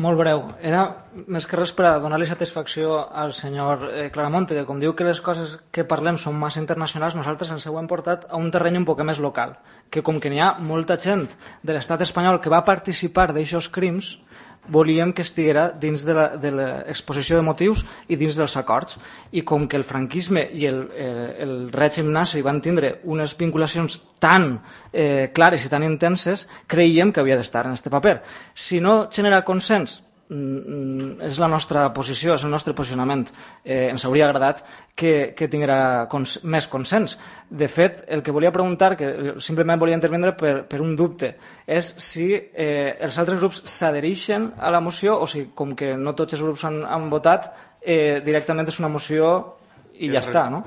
Molt breu. Era més que res per a donar-li satisfacció al senyor Claramonte, que com diu que les coses que parlem són massa internacionals, nosaltres ens ho hem portat a un terreny un poc més local, que com que n'hi ha molta gent de l'estat espanyol que va participar d'aixòs crims, volíem que estiguera dins de l'exposició de motius i dins dels acords. I com que el franquisme i el règim nazi van tindre unes vinculacions tan clares i tan intenses, creiem que havia d'estar en aquest paper. Si no genera consens, és la nostra posició, és el nostre posicionament. Ens hauria agradat que tinguera més consens. De fet, el que volia preguntar, que simplement volia intervindre per un dubte, és si els altres grups s'adhereixen a la moció o si, com que no tots els grups han votat, directament és una moció i ja està, no?